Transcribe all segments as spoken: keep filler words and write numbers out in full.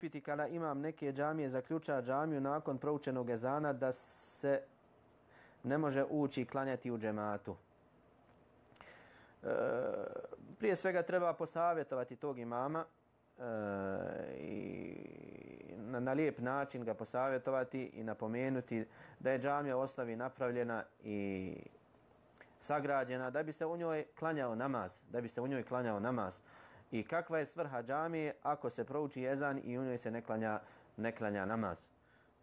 piti kada imam neke džamije zaključa džamiju nakon proučenog ezana da se ne može ući i klanjati u džematu. E, prije svega treba posavjetovati tog imama e, i na, na lijep način ga posavjetovati i napomenuti da je džamija u osnovi napravljena i sagrađena da bi se u njoj klanjao namaz, da bi se u njoj klanjao namaz. I kakva je svrha džamije ako se prouči ezan i u njoj se ne klanja, ne klanja namaz.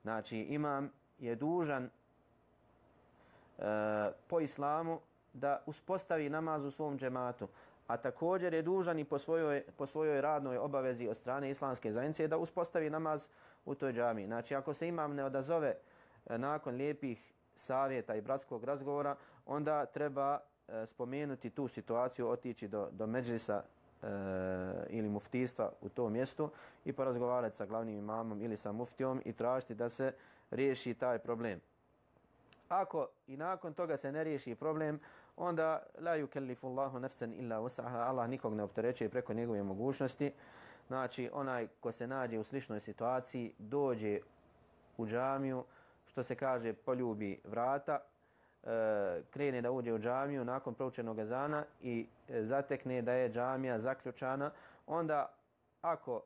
Znači imam je dužan e, po islamu da uspostavi namaz u svom džematu, a također je dužan i po svojoj, po svojoj radnoj obavezi od strane islamske zajednice da uspostavi namaz u toj džamiji. Znači ako se imam ne odazove e, nakon lijepih savjeta i bratskog razgovora, onda treba e, spomenuti tu situaciju, otići do, do medžlisa e, ili muftijstva u tom mjestu i porazgovarati sa glavnim imamom ili sa muftijom i tražiti da se riješi taj problem. Ako i nakon toga se ne riješi problem, onda la yukellifu Allahu nafsan illa wus'aha, Allah nikog ne opterećuje preko njegove mogućnosti. Znači onaj ko se nađe u sličnoj situaciji, dođe u džamiju, što se kaže poljubi vrata, e, krene da uđe u džamiju nakon proučenog ezana i e, zatekne da je džamija zaključana, onda ako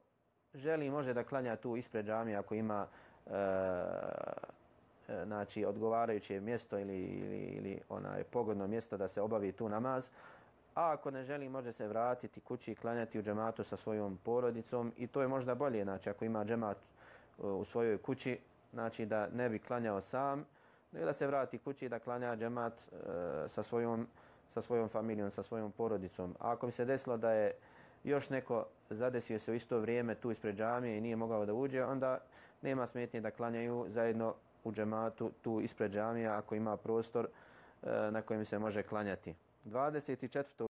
želi može da klanja tu ispred džamije ako ima e, e, znači odgovarajuće mjesto ili, ili, ili onaj pogodno mjesto da se obavi tu namaz, a ako ne želi može se vratiti kući i klanjati u džematu sa svojom porodicom i to je možda bolje, znači ako ima džemat u svojoj kući, znači da ne bi klanjao sam, nego da se vrati kući da klanja džemat e, sa, svojom, sa svojom familijom, sa svojom porodicom. A ako bi se desilo da je još neko zadesio se u isto vrijeme tu ispred džamije i nije mogao da uđe, onda nema smetnje da klanjaju zajedno u džematu tu ispred džamije ako ima prostor e, na kojem se može klanjati. dvadeset četvrtog